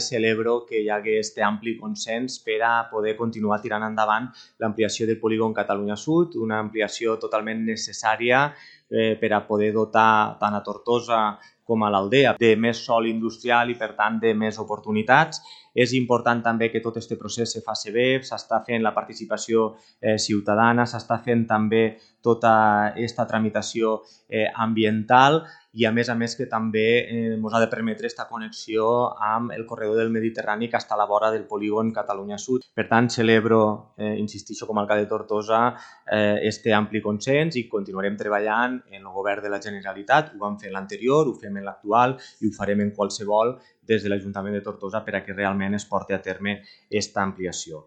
Celebro que hi hagi aquest ampli consens per a poder continuar tirant endavant l'ampliació del polígon Catalunya Sud, una ampliació totalment necessària per a poder dotar tant a Tortosa com a l'Aldea de més sòl industrial i, per tant, de més oportunitats. És important també que tot aquest procés se faci bé, s'està fent la participació ciutadana, s'està fent també tota aquesta tramitació ambiental i, a més que també ens ha de permetre aquesta connexió amb el corredor del Mediterrani que està a la vora del polígon Catalunya Sud. Per tant, celebro, insistixo com a alcalde de Tortosa, este ampli consens i continuarem treballant en el govern de la Generalitat. Ho vam fer en l'anterior, ho fem en l'actual i ho farem en qualsevol des de l'Ajuntament de Tortosa per a que realment es porti a terme aquesta ampliació.